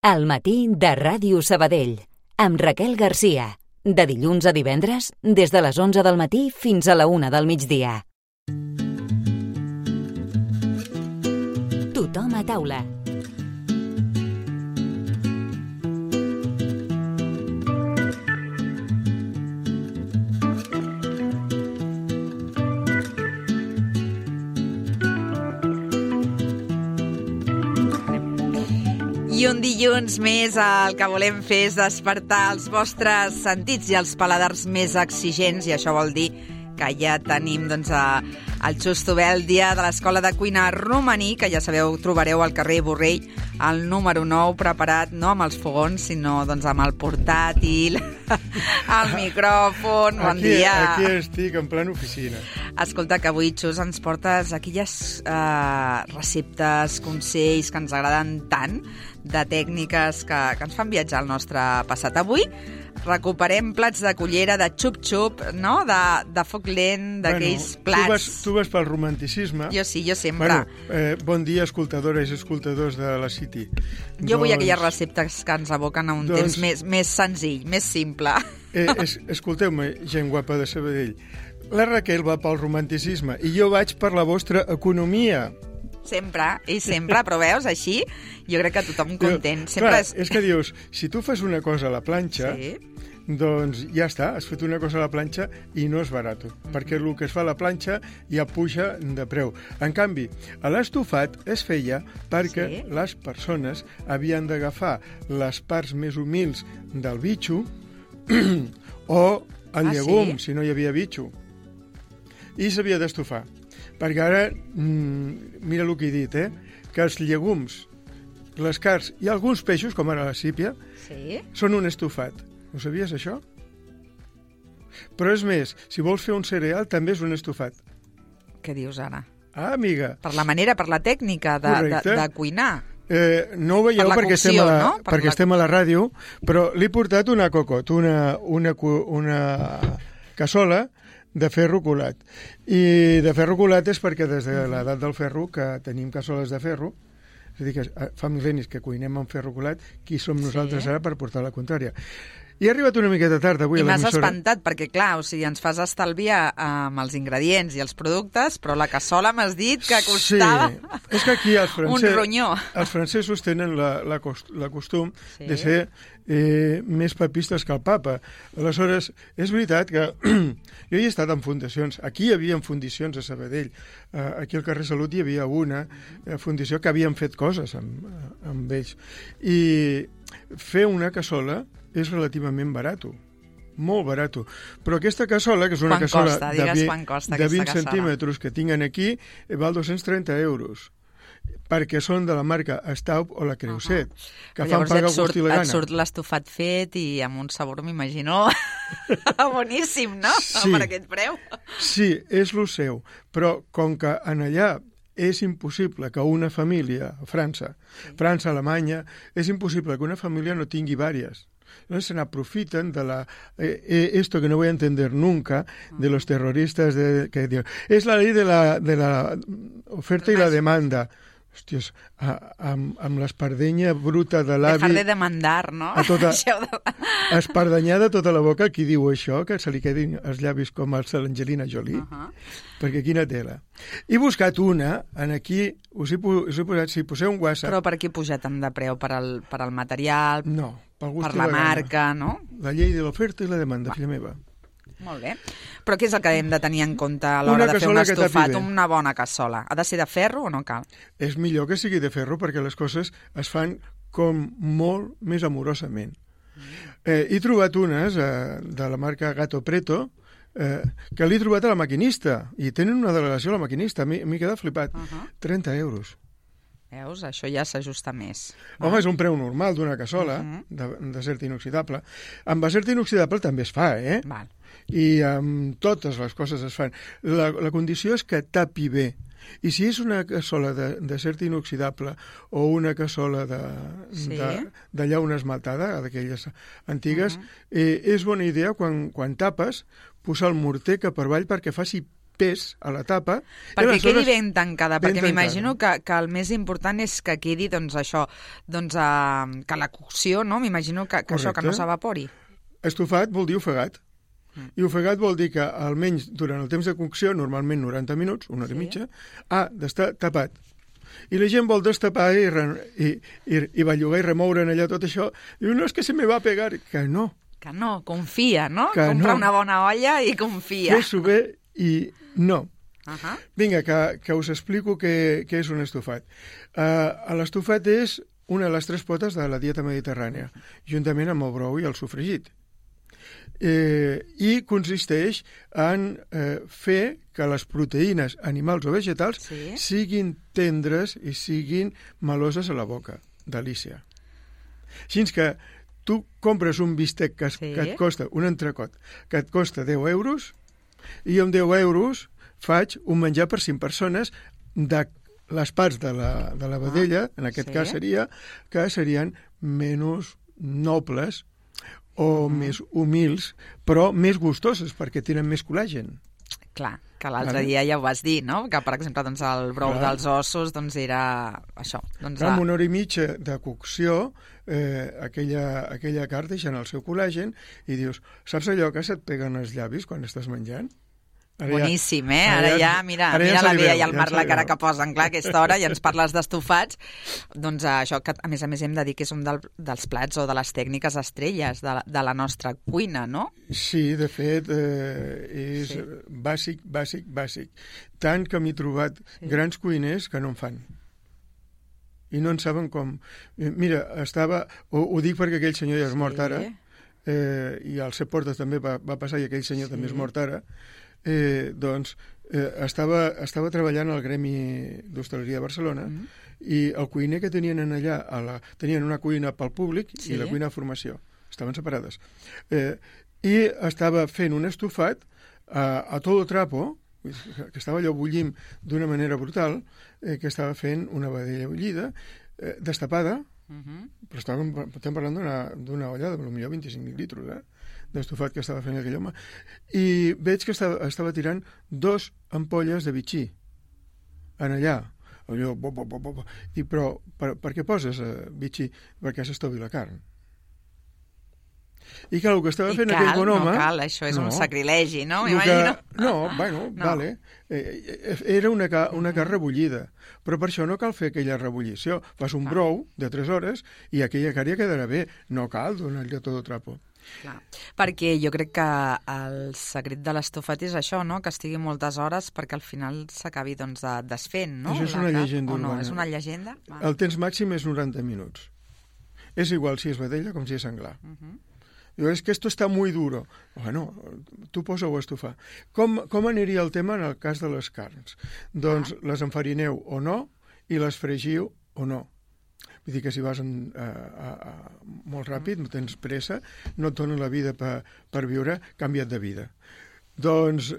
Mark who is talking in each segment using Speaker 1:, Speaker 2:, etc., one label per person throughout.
Speaker 1: Al matí de Ràdio Sabadell, amb Raquel Garcia. De dilluns a divendres, des de les 11 del matí fins a la 1 del migdia. Tothom a taula.
Speaker 2: I un dilluns més el que volem fer és despertar els vostres sentits i els paladars més exigents, i això vol dir que ja tenim el Xusto Bèldia de l'Escola de Cuina Romaní, que ja sabeu, trobareu al carrer Borrell, el número 9, preparat no amb els fogons, sinó amb el portàtil, el micròfon. Bon dia.
Speaker 3: Aquí estic, en plena oficina.
Speaker 2: Escolta, que avui, Xus, ens portes aquelles receptes, consells que ens agraden tant, de tècniques que ens fan viatjar al nostre passat. Avui recuperem plats de cullera, de xup-xup, no? De foc lent, d'aquells plats.
Speaker 3: Tu vas pel romanticisme.
Speaker 2: Jo sí, jo sempre.
Speaker 3: Bon dia, escoltadores i escoltadors de la City.
Speaker 2: Jo vull aquelles receptes que ens aboquen a un temps més senzill, més simple.
Speaker 3: Escolteu-me, gent guapa de Sabadell. La Raquel va pel romanticisme i jo vaig per la vostra economia.
Speaker 2: Sempre, però veus, així, jo crec que tothom content.
Speaker 3: És que dius, si tu fas una cosa a la planxa, doncs ja està, has fet una cosa a la planxa i no és barat, perquè el que es fa a la planxa ja puja de preu. En canvi, a l'estofat es feia perquè les persones havien d'agafar les parts més humils del bitxo o el llegum, si no hi havia bitxo, i s'havia d'estofar. Perquè ara, mira el que he dit, que els llegums, les carns i alguns peixos, com ara la sípia, són un estofat. Ho sabies, això? Però és més, si vols fer un cereal, també és un estofat.
Speaker 2: Què dius ara?
Speaker 3: Ah, amiga.
Speaker 2: Per la manera, per la tècnica de cuinar.
Speaker 3: No ho veieu perquè estem a la ràdio, però li he portat una cocot, una cassola de ferro colat. I de ferro colat és perquè des de l'edat del ferro que tenim cassoles de ferro, és a dir, que fa mil·lennis que cuinem amb ferro colat, qui som nosaltres ara per portar la contrària. I he arribat una miqueta tard avui a l'emissora.
Speaker 2: I m'has espantat, perquè clar, ens fas estalviar amb els ingredients i els productes, però la cassola m'has dit que costava
Speaker 3: és que aquí
Speaker 2: un ronyó.
Speaker 3: Els francesos tenen la costum de ser més papistes que el papa. Aleshores, és veritat que jo hi he estat en fundacions. Aquí hi havia fundacions a Sabadell. Aquí al carrer Salut hi havia una fundació que havien fet coses amb ells. I fer una cassola és relativament barat, molt barat. Però aquesta cassola, que és una cassola de 20 centímetres que tinguin aquí, val 230 euros, perquè són de la marca Staub o la Creuset, que fan pagar gust i la gana.
Speaker 2: Et surt l'estofat fet i amb un sabor, m'imagino, boníssim, no? Per aquest preu.
Speaker 3: Sí, és el seu, però com que en allà és impossible que una família, França, Alemanya, és impossible que una família no tingui vàries. Entonces se aprofiten de esto que no voy a entender nunca, de los terroristas que diuen, es la ley de la oferta y la demanda. Hòsties, amb l'espardenya bruta de l'avi...
Speaker 2: Dejar de demandar, no?
Speaker 3: Espardanyada tota la boca, qui diu això, que se li quedin els llavis com els de l'Angelina Jolie, perquè quina tela. He buscat una, aquí, us he posat, si poseu un WhatsApp...
Speaker 2: Però per què puja tant de preu? Per al material?
Speaker 3: No, pel gust
Speaker 2: per la marca, no?
Speaker 3: La llei de l'oferta i la demanda, filla meva.
Speaker 2: Molt bé. Però què és el que hem de tenir en compte a l'hora de fer un estofat? Una bona cassola. Ha de ser de ferro o no cal?
Speaker 3: És millor que sigui de ferro perquè les coses es fan com molt més amorosament. He trobat unes de la marca Gato Preto que l'he trobat a la maquinista i tenen una delegació a la maquinista. M'he quedat flipat. 30 euros.
Speaker 2: Veus? Això ja s'ajusta més.
Speaker 3: Home, és un preu normal d'una cassola d'acer inoxidable. Amb acer inoxidable també es fa,
Speaker 2: Val.
Speaker 3: I amb totes les coses es fan. La condició és que tapi bé. I si és una cassola d'acer inoxidable o una cassola de llauna esmaltada, d'aquelles antigues, és bona idea quan tapes posar el morter cap per avall perquè faci pes a la tapa.
Speaker 2: Perquè quedi ben tancada, perquè m'imagino que el més important és que quedi, doncs, això, doncs, que la cocció, no? M'imagino que això, que no s'evapori.
Speaker 3: Estofat vol dir ofegat. I ofegat vol dir que, almenys durant el temps de cocció, normalment 90 minuts, una hora i mitja, ha d'estar tapat. I la gent vol destapar i bellugar i remoure en allà tot això. Diu, no, és que se me va a pegar. Que no.
Speaker 2: Que no, confia, no? Compra una bona olla i confia.
Speaker 3: Fes-ho bé i no. Vinga, que us explico què és un estofat. L'estofat és una de les 3 potes de la dieta mediterrània, juntament amb el brou i el sofregit. I consisteix en fer que les proteïnes animals o vegetals siguin tendres i siguin meloses a la boca. Delícia. Així que tu compres un bistec que et costa, un entrecot, que et costa 10 euros, i amb 10 euros faig un menjar per 5 persones de les parts de la vedella, en aquest cas serien menys nobles o més humils, però més gustoses, perquè tenen més col·làgen.
Speaker 2: Clar, que l'altre dia ja ho vas dir, no? Que, per exemple, doncs, el brou dels ossos era això.
Speaker 3: Doncs, amb una hora i mitja de cocció, aquella carn deixa el seu col·làgen i dius, saps allò que se't peguen els llavis quan estàs menjant?
Speaker 2: Boníssim, eh? Ara ja, mira la Bea i el Marc la cara que posen, clar, a aquesta hora, i ens parles d'estofats. Doncs això, que a més hem de dir que és un dels plats o de les tècniques estrelles de la nostra cuina, no?
Speaker 3: Sí, de fet, és bàsic. Tant que m'he trobat grans cuiners que no en fan. I no en saben com. Mira, ho dic perquè aquell senyor ja és mort ara, i al Cep Portes també va passar, i aquell senyor també és mort ara. Estava treballant al Gremi d'Hostaleria de Barcelona i el cuiner que tenien allà, tenien una cuina pel públic i la cuina de formació, estaven separades, i estava fent un estofat a todo trapo, que estava allò bullint d'una manera brutal, que estava fent una vedella bullida, destapada, però estem parlant d'una olla de potser 25 litres, d'estofat que estava fent aquell home, i veig que estava tirant 2 ampolles de bitxí en allà. Dic, però per què poses bitxí? Perquè s'estovi la carn. I clar, el que estava fent aquell bon home...
Speaker 2: No cal, això és un sacrilegi, no?
Speaker 3: Vale. Era una carn rebullida, però per això no cal fer aquella rebullició. Fas un brou de 3 hores i aquella carn ja quedarà bé. No cal donar-li a tot trapo.
Speaker 2: Clar, perquè jo crec que el secret de l'estofat és això, no? Que estigui moltes hores perquè al final s'acabi desfent, no?
Speaker 3: Això és una llegenda urbana.
Speaker 2: No, és una llegenda?
Speaker 3: El temps màxim és 90 minuts. És igual si és vedella com si és senglar. Diu, és que esto está muy duro. Bueno, tu posa-ho a estofar. Com aniria el tema en el cas de les carns? Doncs les enfarineu o no i les fregiu o no. Vull dir que si vas molt ràpid, no tens pressa, no et donen la vida per viure, canvia't de vida. Doncs,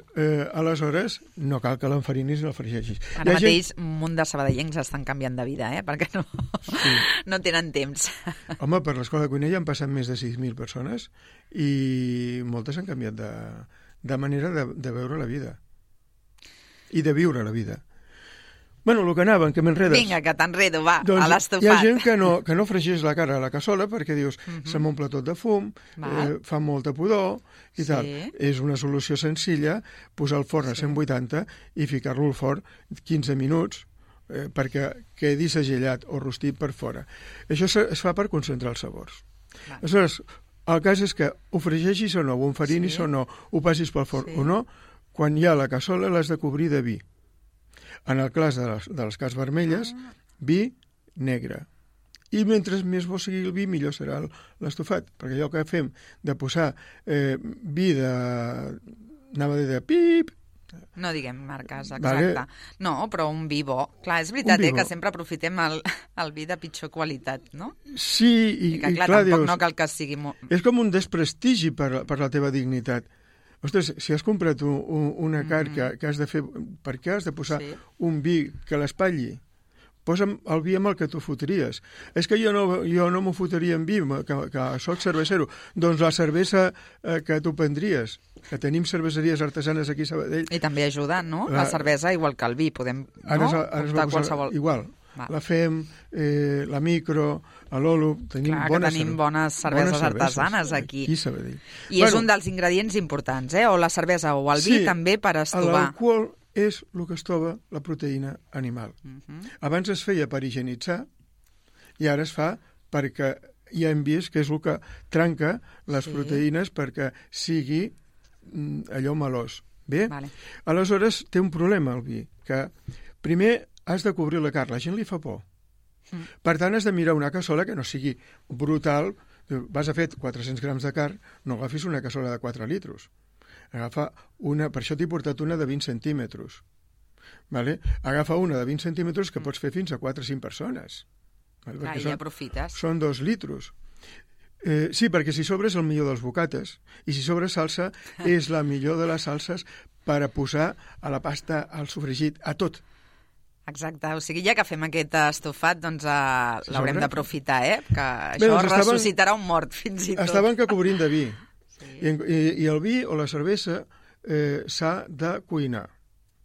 Speaker 3: aleshores, no cal que l'enfarinis i el fregeixis.
Speaker 2: Ara mateix un munt de sabadellencs estan canviant de vida, perquè no tenen temps.
Speaker 3: Home, per l'escola de cuina ja han passat més de 6.000 persones i moltes han canviat de manera de veure la vida i de viure la vida. Bueno, el que anaven, que m'enredes.
Speaker 2: Vinga, que t'enredo, va,
Speaker 3: doncs
Speaker 2: a l'estofat.
Speaker 3: Hi ha gent que no fregeix la cara a la cassola perquè dius, se m'omple tot de fum, fa molta pudor i tal. És una solució senzilla posar el forn a 180 i ficar-lo al forn 15 minuts perquè quedi segellat o rostit per fora. Això es fa per concentrar els sabors. Aleshores, el cas és que ho fregeixis o no, ho enfarinis o no, ho passis pel forn o no, quan hi ha la cassola l'has de cobrir de vi. En el cas de les carns vermelles, vi negre. I mentre més bo sigui el vi, millor serà l'estofat, perquè allò que fem de posar vi anava a dir de pip...
Speaker 2: No diguem marques, exacte. No, però un vi bo. Clar, és veritat que sempre aprofitem el vi de pitjor qualitat, no?
Speaker 3: Sí, i clar,
Speaker 2: tampoc no cal que sigui molt...
Speaker 3: És com un desprestigi per la teva dignitat. Ostres, si has comprat una carn que has de fer... Per què has de posar un vi que l'espatlli? posa'm el vi amb el que tu fotries. És que jo no m'ho fotria amb vi, que soc cervesero. Doncs la cervesa que tu prendries, que tenim cerveseries artesanes aquí a Sabadell.
Speaker 2: I també ajuda, no? La cervesa, igual que el vi, podem optar qualsevol.
Speaker 3: Igual. La FEM, la Micro, l'Olo, tenim
Speaker 2: bones cerveses artesanes aquí. I és un dels ingredients importants, o la cervesa o el vi també per estovar.
Speaker 3: L'alcohol és el que estova la proteïna animal. Abans es feia per higienitzar i ara es fa perquè ja hem vist que és el que trenca les proteïnes perquè sigui allò melós. Bé? Aleshores té un problema el vi, que primer has de cobrir la carn, la gent li fa por. Per tant, has de mirar una cassola que no sigui brutal. Vas a fer 400 grams de carn, no agafis una cassola de 4 litros. Agafa una, per això t'he portat una de 20 centímetres. Agafa una de 20 centímetres que pots fer fins a 4 o 5 persones.
Speaker 2: I ja aprofites.
Speaker 3: Són 2 litros. Sí, perquè si sobre és el millor dels bocates, i si sobre salsa és la millor de les salses per a posar a la pasta, al sofregit, a tot.
Speaker 2: Exacte, o sigui, ja que fem aquest estofat, doncs l'haurem d'aprofitar, que això ressuscitarà un mort, fins i tot.
Speaker 3: Estaven que cobrint de vi, i el vi o la cervesa s'ha de cuinar.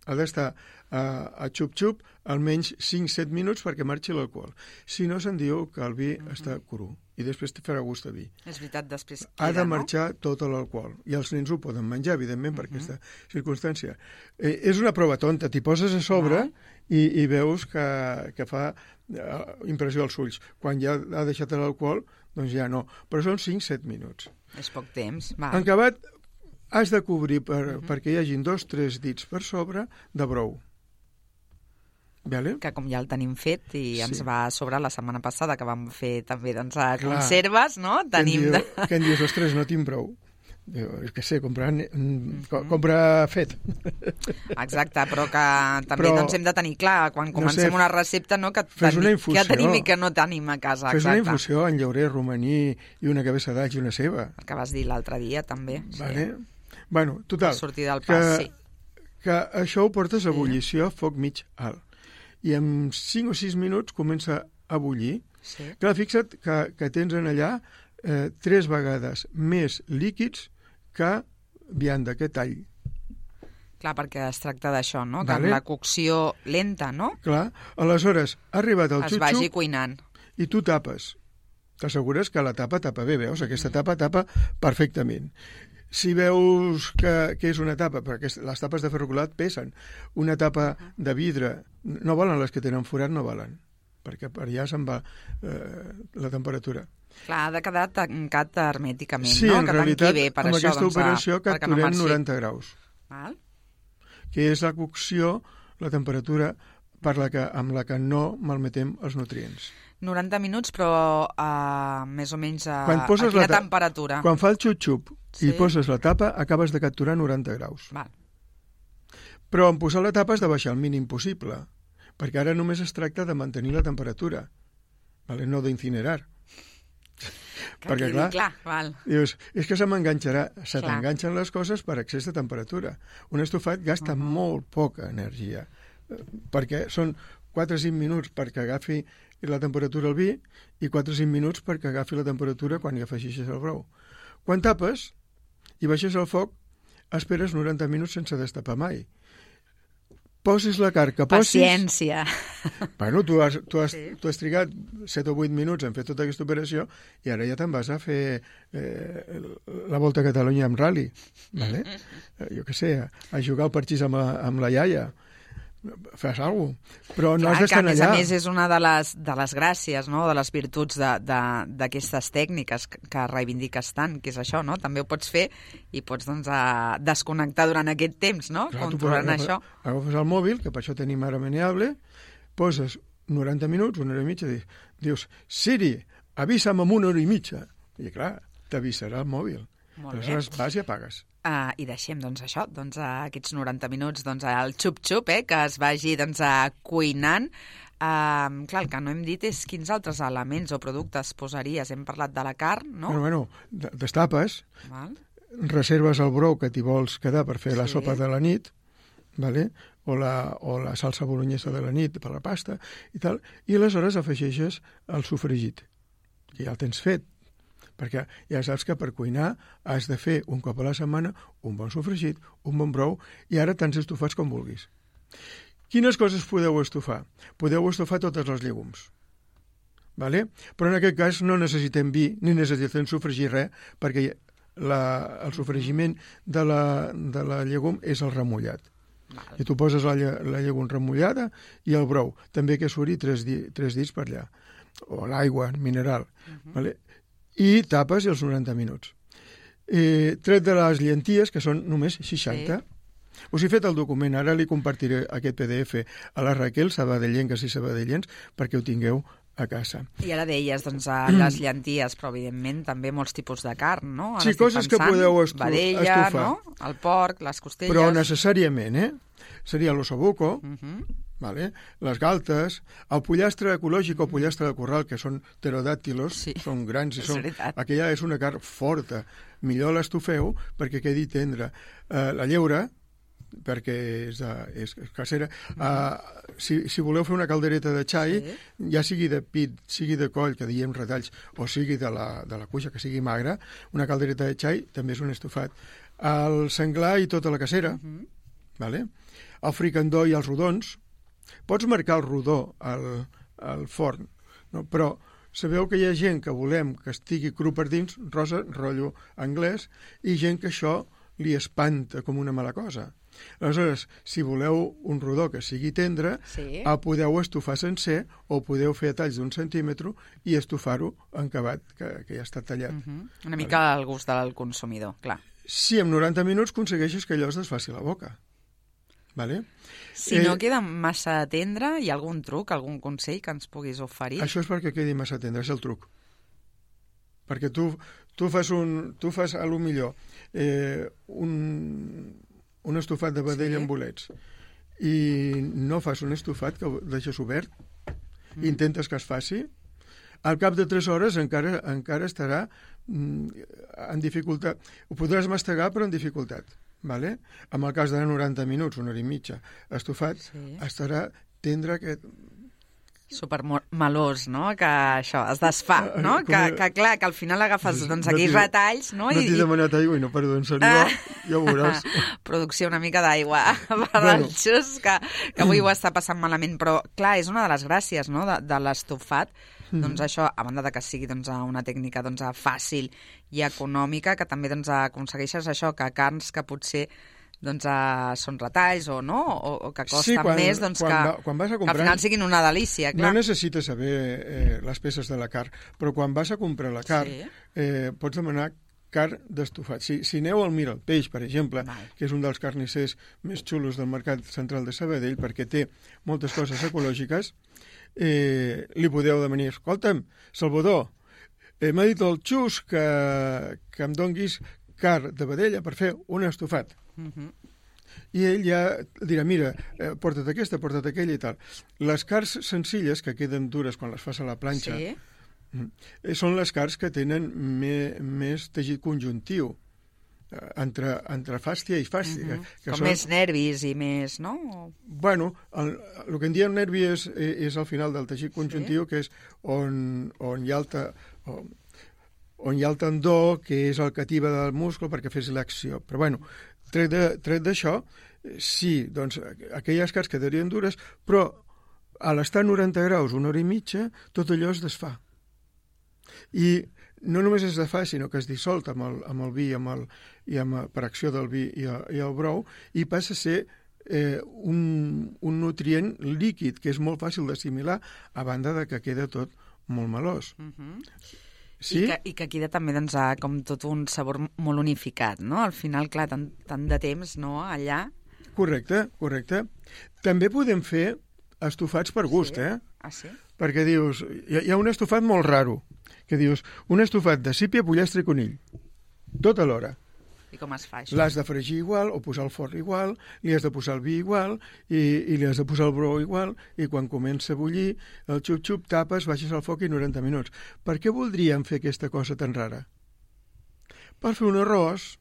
Speaker 3: Ha d'estar a xup-xup almenys 5-7 minuts perquè marxi l'alcohol. Si no, se'n diu que el vi està cru i després te farà gust de vi.
Speaker 2: És veritat, després queda,
Speaker 3: ha de marxar tot l'alcohol. I els nens ho poden menjar, evidentment, per aquesta circumstància. És una prova tonta. T'hi poses a sobre i veus que fa impressió als ulls. Quan ja ha deixat l'alcohol, doncs ja no. Però són 5-7 minuts.
Speaker 2: És poc temps.
Speaker 3: En acabat, has de cobrir perquè hi hagin 2-3 dits per sobre de brou.
Speaker 2: Que com ja el tenim fet i ens va sobrar la setmana passada, que vam fer també conserves, no?
Speaker 3: Què en dius? Ostres, no tinc brou. És que sé, comprar fet.
Speaker 2: Exacte, però que també hem de tenir clar, quan comencem una recepta, que tenim i que no tenim a casa.
Speaker 3: Fes una infusió en llaurer, romaní i una cabeça d'all i una ceba.
Speaker 2: El que vas dir l'altre dia, també.
Speaker 3: Bueno, total, que això ho portes a ebullició a foc mig alt. I en 5 o 6 minuts comença a bullir. Clar, fixa't que tens en allà 3 vegades més líquids que vianda, que tall.
Speaker 2: Clar, perquè es tracta d'això, no? Que amb la cocció lenta, no?
Speaker 3: Clar, aleshores ha arribat el xup-xup...
Speaker 2: Es vagi cuinant.
Speaker 3: I tu tapes. T'assegures que la tapa bé, veus? Aquesta tapa perfectament. Si veus que és una tapa, perquè les tapes de ferro colat pesen, una tapa de vidre, no valen les que tenen forat, no valen, perquè per allà se'n va la temperatura.
Speaker 2: Clar, ha de quedar tancat hermèticament,
Speaker 3: sí,
Speaker 2: no?
Speaker 3: En realitat, amb aquesta operació capturem 90 graus, que és la cocció, la temperatura amb la que no malmetem els nutrients.
Speaker 2: 90 minuts, però més o menys a quina temperatura?
Speaker 3: Quan fa el xup-xup i poses la tapa, acabes de capturar 90 graus. Però en posar la tapa has de baixar el mínim possible, perquè ara només es tracta de mantenir la temperatura, no d'incinerar. Perquè, clar, dius, és que se t'enganxen les coses per excés de temperatura. Un estofat gasta molt poca energia, perquè són 4 o 5 minuts perquè agafi la temperatura al vi i 4 o 5 minuts perquè agafi la temperatura quan hi afegeixes el brou. Quan tapes i baixes el foc, esperes 90 minuts sense destapar mai. Posis la carn que posis...
Speaker 2: Paciència.
Speaker 3: Bueno, tu has trigat 7 o 8 minuts en fer tota aquesta operació i ara ja te'n vas a fer la Volta a Catalunya amb rally. Jo què sé, a jugar al parxís amb la iaia. Fes alguna cosa, però no has d'estar allà.
Speaker 2: A més, és una de les gràcies, no?, de les virtuts d'aquestes tècniques que reivindiques tant, que és això, no? També ho pots fer i pots desconnectar durant aquest temps, no? Controlant això.
Speaker 3: Agafes el mòbil, que per això tenim ara Meneable, poses 90 minuts, 1 hora i mitja, dius, Siri, avisa'm en 1 hora i mitja. I clar, t'avisarà el mòbil. Aleshores vas i apagues.
Speaker 2: I deixem, això, aquests 90 minuts, el xup-xup, que es vagi cuinant. Clar, el que no hem dit és quins altres elements o productes posaries. Hem parlat de la carn, no?
Speaker 3: Bueno, destapes, reserves el brou que t'hi vols quedar per fer la sopa de la nit, o la salsa bolognesa de la nit per la pasta i tal, i aleshores afegeixes el sofregit, que ja el tens fet, perquè ja saps que per cuinar has de fer un cop a la setmana un bon sofregit, un bon brou, i ara tants estofats com vulguis. Quines coses podeu estofar? Podeu estofar totes les llegums. Vale? Però en aquest cas no necessitem vi ni necessitem sofregir res, perquè el sofregiment de la llegum és el remullat. I tu poses la llegum remullada i el brou, també que suri 3 dits per allà, o l'aigua mineral. Vale? I tapes els 90 minuts. Tret de les llenties, que són només 60. Us he fet el document, ara li compartiré aquest PDF a la Raquel, sabadellenques i sabadellens, perquè ho tingueu a casa.
Speaker 2: I ara deies, doncs, les llenties, però evidentment també molts tipus de carn, no?
Speaker 3: Sí, coses que podeu estofar.
Speaker 2: Vedella, no? El porc, les costelles...
Speaker 3: Però necessàriament, seria l'ossobuco, vale? Les galtes, el pollastre ecològic o pollastre de corral, que són pterodàctilos, són grans i aquella és una carn forta. Millor l'estofeu perquè quedi tendre. La lleure, perquè és casera. Si voleu fer una caldereta de xai, ja sigui de pit, sigui de coll, que diem retalls, o sigui de la cuixa, que sigui magra, una caldereta de xai també és un estofat. El senglar i tota la casera, vale? El fricandó i els rodons. Pots marcar el rodó al forn, no? Però sabeu que hi ha gent que volem que estigui cru per dins, rosa, rotllo anglès, i gent que això li espanta com una mala cosa. Aleshores, si voleu un rodó que sigui tendre, el podeu estofar sencer o podeu fer talls d'1 centímetre i estofar-ho en acabat, que ja està tallat.
Speaker 2: Una mica al gust del consumidor, clar.
Speaker 3: Si en 90 minuts aconsegueixes que allò es desfaci la boca. Vale?
Speaker 2: Si no queda massa tendre, hi ha algun truc, algun consell que ens puguis oferir?
Speaker 3: Això és perquè quedi massa tendre, és el truc. Perquè tu fas a lo millor un estofat de vedella amb bolets i no fas un estofat que ho deixes obert i intentes que es faci, al cap de 3 hores encara estarà en dificultat. Ho podràs mastegar, però en dificultat. Vale? En el cas de 90 minuts, 1 hora i mitja, estofat, estarà tendre aquest...
Speaker 2: Supermelós, no? Que això es desfà, no? Que clar, que al final agafes aquells retalls, no?
Speaker 3: No t'he demanat aigua i no perdó, en sèrio, ja ho veuràs.
Speaker 2: Producció una mica d'aigua per al Xus, que avui ho està passant malament, però clar, és una de les gràcies, no?, de l'estofat, doncs això, a banda de que sigui una tècnica fàcil i econòmica, que també aconsegueixes això, que carns que potser són retalls o no, o que costen més,
Speaker 3: quan vas a comprar,
Speaker 2: que al final siguin una delícia, clar.
Speaker 3: No necessites saber les peces de la carn, però quan vas a comprar la carn, pots demanar carn d'estofat. Si aneu al Mira el Peix, per exemple, que és un dels carnissers més xulos del mercat central de Sabadell, perquè té moltes coses ecològiques, li podeu demanar: escolta'm, Salvador, m'ha dit el Xus que em donguis carn de vedella per fer un estofat. I ell ja dirà: mira, porta't aquesta, porta't aquella i tal. Les carns senzilles, que queden dures quan les fas a la planxa, són les carns que tenen més teixit conjuntiu entre fàstia i fàstia.
Speaker 2: Com més nervis i més, no?
Speaker 3: Bueno, el que en diem nervi és al final del teixit conjuntiu, que és on hi ha el tendó, que és el que ativa del múscul perquè fes l'acció. Però bueno, tret d'això, sí, doncs aquelles carns quedarien dures, però a l'estar a 90 graus, 1 hora i mitja, tot allò es desfà. I no només es desfà, sinó que es dissolta amb el vi per acció del vi i el brou, i passa a ser un nutrient líquid que és molt fàcil d'assimilar, a banda de que queda tot molt melós. Sí?
Speaker 2: I que queda també com tot un sabor molt unificat, no? Al final, clar, tant de temps, no?, allà.
Speaker 3: Correcte. També podem fer estofats per gust,
Speaker 2: Ah, sí?
Speaker 3: Perquè dius, hi ha un estofat molt raro, que dius, un estofat de sípia, pollastre i conill, tot alhora.
Speaker 2: I com es fa això?
Speaker 3: L'has de fregir igual, o posar el forn igual, li has de posar el vi igual, i li has de posar el brou igual, i quan comença a bullir, el xup-xup, tapes, baixes al foc i 90 minuts. Per què voldríem fer aquesta cosa tan rara? Per fer un arròs.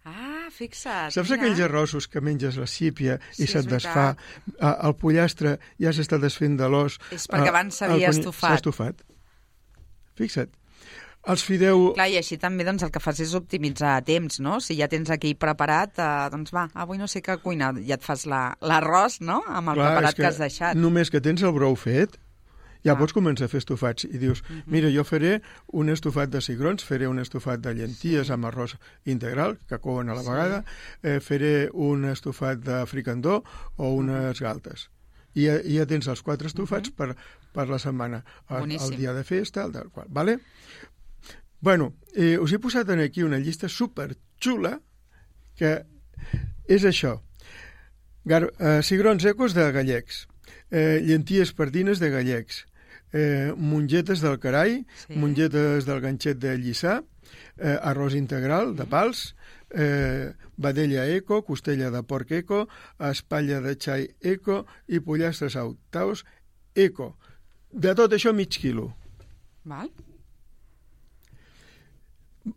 Speaker 2: Ah, fixa't.
Speaker 3: Saps aquells arrossos que menges la sípia i se't desfà? El pollastre ja s'està desfent de l'os.
Speaker 2: És perquè abans s'havia estufat.
Speaker 3: S'ha estufat. Fixa't. Els fideu...
Speaker 2: Clar, i així també el que fas és optimitzar temps, no? Si ja tens aquí preparat, doncs va, avui no sé què cuinar, ja et fas l'arròs, no?, amb el preparat que has deixat.
Speaker 3: Només que tens el brou fet, ja pots començar a fer estofats i dius, mira, jo faré un estofat de cigrons, faré un estofat de llenties amb arròs integral, que couen a la vegada, faré un estofat de fricandó o unes galtes. I ja tens els 4 estofats per la setmana. El dia de festa, el del qual, vale? Bueno, us he posat aquí una llista superxula que és això. Cigrons ecos de gallecs, llenties pardines de gallecs, mongetes del carai, mongetes del ganxet de Lliçà, arròs integral de pals, vedella eco, costella de porc eco, espatlla de xai eco i pollastres autaus eco. De tot això, mig quilo.
Speaker 2: Val.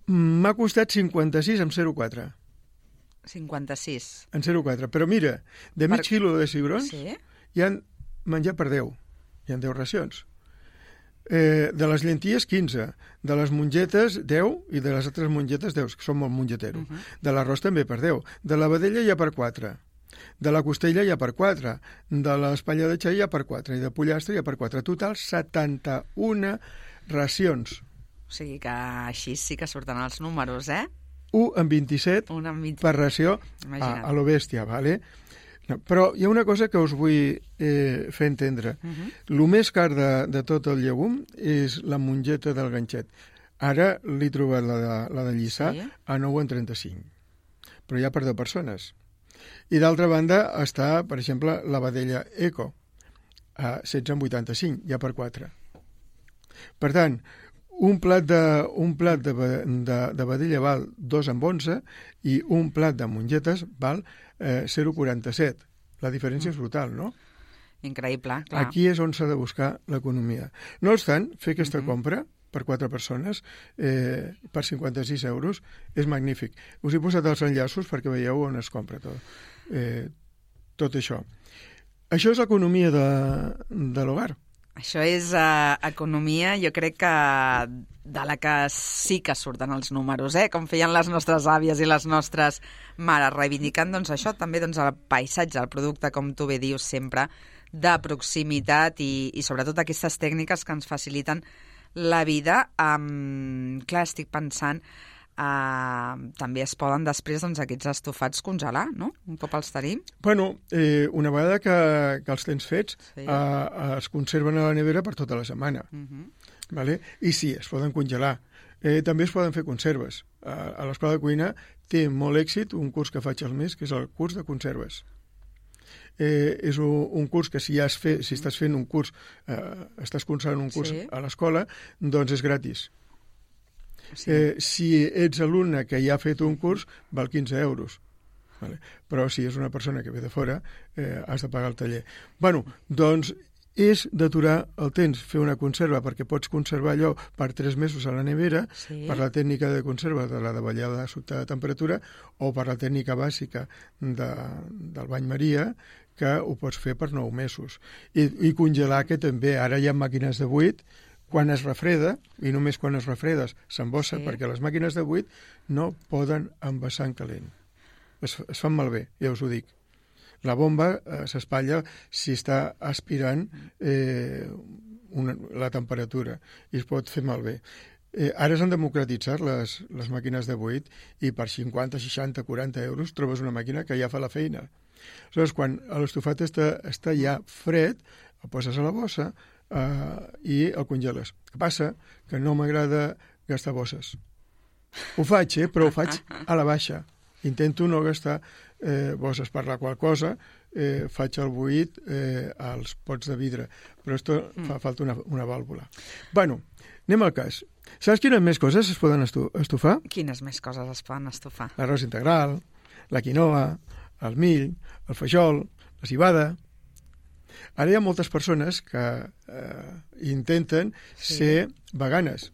Speaker 3: M'ha costat 56 amb 0,4.
Speaker 2: 56.
Speaker 3: En 0,4. Però mira, de mig quilo de cigrons hi han menjar per 10. Hi ha 10 racions. De les llenties, 15. De les mongetes, 10. I de les altres mongetes, 10, que són molt mongetero. De l'arròs també per 10. De la vedella hi ha per 4. De la costella hi ha per 4. De l'espatlla de xai hi ha per 4. I de pollastre hi ha per 4. Total, 71 racions.
Speaker 2: O sigui que així sí que surten els números,
Speaker 3: 1 amb 27 per ració a lo bèstia, vale? No, però hi ha una cosa que us vull fer entendre. El més car de tot el llegum és la mongeta del ganxet. Ara l'he trobat la de Lliçà a 9,35. Però ja per 2 persones. I d'altra banda està, per exemple, la vedella eco a 16,85, ja per 4. Per tant, un plat de vedella val 2,11 i un plat de mongetes val 0,47. La diferència és brutal, no?
Speaker 2: Increïble, clar.
Speaker 3: Aquí és on s'ha de buscar l'economia. No obstant, fer aquesta compra per 4 persones per 56 euros és magnífic. Us he posat els enllaços perquè veieu on es compra tot això. Això és l'economia de l'hogar.
Speaker 2: Això és economia, jo crec que de la que sí que surten els números, com feien les nostres àvies i les nostres mares, reivindicant això també el paisatge, el producte, com tu bé dius sempre, de proximitat i sobretot aquestes tècniques que ens faciliten la vida. Clar, estic pensant, també es poden després aquests estofats congelar, no? Un cop els tenim.
Speaker 3: Bueno, una vegada que els tens fets, es conserven a la nevera per tota la setmana. Vale? I sí, es poden congelar. També es poden fer conserves. A l'Escola de Cuina té molt èxit un curs que faig al mes, que és el curs de conserves. És un curs que si estàs fent un curs, estàs cursant un curs a l'escola, doncs és gratis. Si ets alumne que ja ha fet un curs, val 15 euros. Vale? Però si és una persona que ve de fora, has de pagar el taller. Bueno, doncs és d'aturar el temps, fer una conserva, perquè pots conservar allò per 3 mesos a la nevera, per la tècnica de conserva de la davallada sota de temperatura, o per la tècnica bàsica del bany Maria, que ho pots fer per 9 mesos. I congelar, que també ara hi ha màquines de buit, quan es refreda, i només quan es refredes s'embossa, perquè les màquines de buit no poden envasar en calent. Es fan malbé, ja us ho dic. La bomba s'espatlla si està aspirant la temperatura i es pot fer malbé. Ara s'han democratitzat les màquines de buit i per 50, 60, 40 euros trobes una màquina que ja fa la feina. Aleshores, quan l'estofat està ja fred, el poses a la bossa i el congeles. Què passa? Que no m'agrada gastar bosses. Ho faig, però ho faig a la baixa. Intento no gastar bosses, per la qual cosa faig el buit als pots de vidre. Però esto fa falta una vàlvula. Bueno, anem al cas. Saps quines més coses es poden estofar?
Speaker 2: Quines més coses es poden estofar?
Speaker 3: L'arròs integral, la quinoa, el mill, el fajol, la cibada. Ara hi ha moltes persones que intenten ser veganes.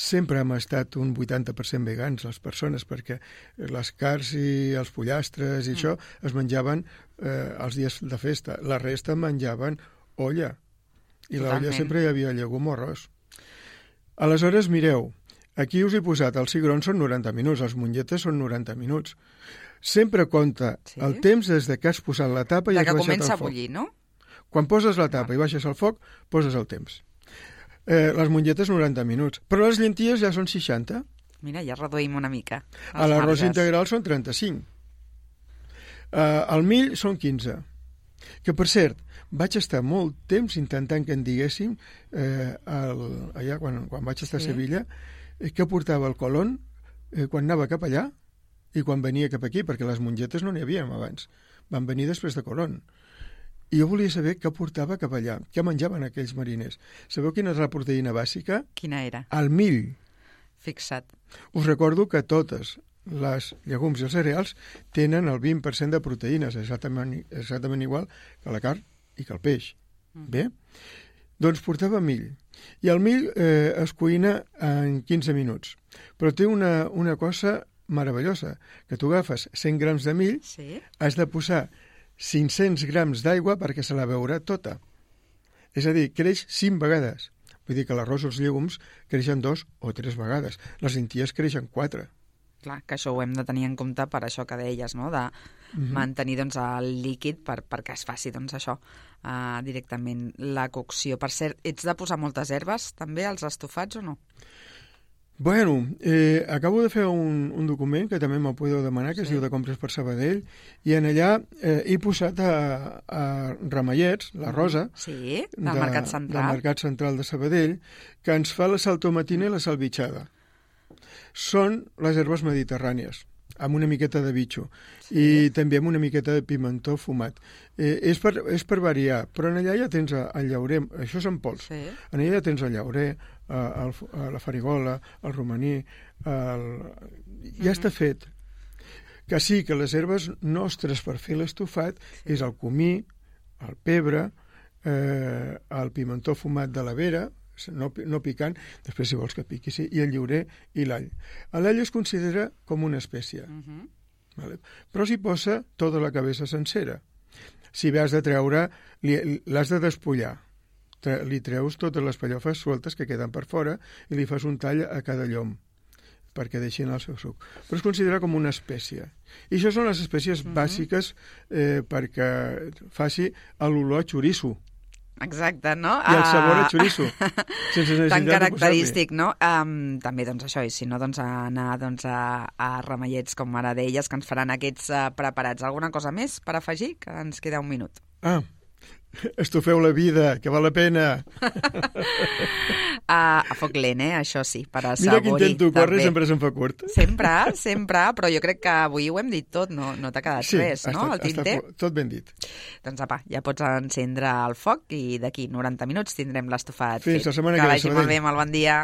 Speaker 3: sempre hem estat un 80% vegans, les persones, perquè les carns i els pollastres i això es menjaven els dies de festa. La resta menjaven olla. I l'olla sempre hi havia llegum o arròs. Aleshores, mireu, aquí us he posat, els cigrons són 90 minuts, els mongetes són 90 minuts. Sempre compta el temps des de que has posat la tapa i has baixat el foc.
Speaker 2: Que comença a bullir, no?
Speaker 3: Quan poses la tapa i baixes el foc, poses el temps. Les mongetes 90 minuts, però les llenties ja són 60.
Speaker 2: Mira, ja reduïm una mica.
Speaker 3: L'arròs integral són 35. El mill són 15. Que, per cert, vaig estar molt temps intentant que en diguéssim, allà quan vaig estar a Sevilla, què portava el Colón quan anava cap allà i quan venia cap aquí, perquè les mongetes no n'hi havíem abans. Van venir després de Colón. I jo volia saber què portava cap allà, què menjaven aquells mariners. Sabeu quina és la proteïna bàsica?
Speaker 2: Quina era?
Speaker 3: El mill.
Speaker 2: Fixa't.
Speaker 3: Us recordo que totes les llegums i els cereals tenen el 20% de proteïnes, exactament igual que la carn i que el peix. Bé? Doncs portava mill. I el mill es cuina en 15 minuts. Però té una cosa meravellosa, que tu agafes 100 grams de mill, has de posar 500 grams d'aigua perquè se la beurà tota. És a dir, creix 5 vegades. Vull dir que l'arròs o els llegums creixen 2 o 3 vegades. Les lenties creixen 4.
Speaker 2: Clar, que això ho hem de tenir en compte per això que deies, no?, de mantenir doncs, el líquid perquè es faci doncs, això directament la cocció. Per cert, ets de posar moltes herbes també als estofats o no?
Speaker 3: Bueno, acabo de fer un document que també m'ho podeu demanar, que es diu de compres per Sabadell, i en allà he posat a Ramallets, la Rosa,
Speaker 2: del Mercat Central.
Speaker 3: Del Mercat Central de Sabadell, que ens fa la saltomatina i la salvitxada. Són les herbes mediterrànies, amb una miqueta de bitxo, i també amb una miqueta de pimentó fumat. És per variar, però en allà ja tens el llaurer, això són pols, en allà ja tens el llaurer, la farigola, el romaní, ja està fet. Que sí, que les herbes nostres per fer l'estofat és el comí, el pebre, el pimentó fumat de la vera, no picant, després si vols que piqui, sí, i el llaurer i l'all. L'all es considera com una espècie, vale? Però s'hi posa tota la cabeça sencera. Si has de treure, l'has de despullar. Li treus totes les pallofes sueltes que queden per fora i li fas un tall a cada llom perquè deixin el seu suc. Però es considera com una espècie. I això són les espècies bàsiques perquè faci l'olor a xoriço.
Speaker 2: Exacte, no?
Speaker 3: I el sabor a xoriço.
Speaker 2: Tan característic, no? També, doncs, això, i si no, doncs, anar a Ramallets, com ara deies, que ens faran aquests preparats. Alguna cosa més per afegir? Que ens queda un minut.
Speaker 3: Estofeu la vida, que val la pena.
Speaker 2: A foc lent, això sí, per assaborir.
Speaker 3: Mira que intento córrer, sempre se'm fa curt.
Speaker 2: Sempre, però jo crec que avui ho hem dit tot, no t'ha quedat res, no? El tinter?
Speaker 3: Tot ben dit.
Speaker 2: Doncs apa, ja pots encendre el foc i d'aquí 90 minuts tindrem l'estofat fet.
Speaker 3: Fins la setmana que ve.
Speaker 2: Que vagi molt bé, molt bon dia.